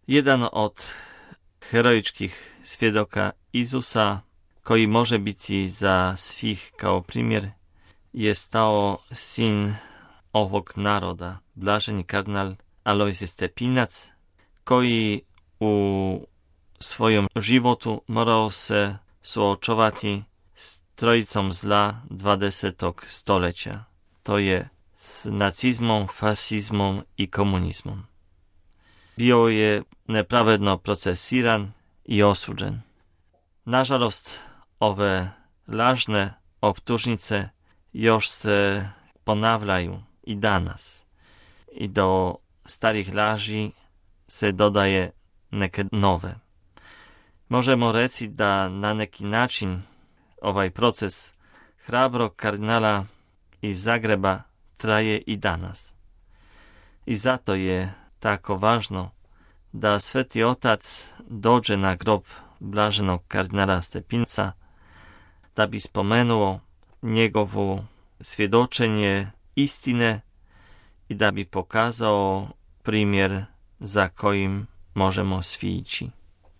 Jedan od heroičkih svjedoka Isusa, koji može biti za svih kao primjer, je stao sin ovog naroda, blaženi kardinal Alojzije Stepinac, koji u svojom životu morao se suočovati s trojicom zla 20. stoljeća. To je s nacizmom, fašizmom i komunizmom. Bio je nepravedno procesiran i osuđen. Nažalost, ove lažne optužnice još se ponavljaju i danas. I do starih laži se dodaje neke nove. Možemo reći da na neki način ovaj proces hrabrog kardinala iz Zagreba traje i danas. I zato je tako važno da Sveti Otac dođe na grob blaženog kardinala Stepinca da bi spomenuo njegovo svjedočenje istine i da bi pokazao primjer za kojim možemo svi ići.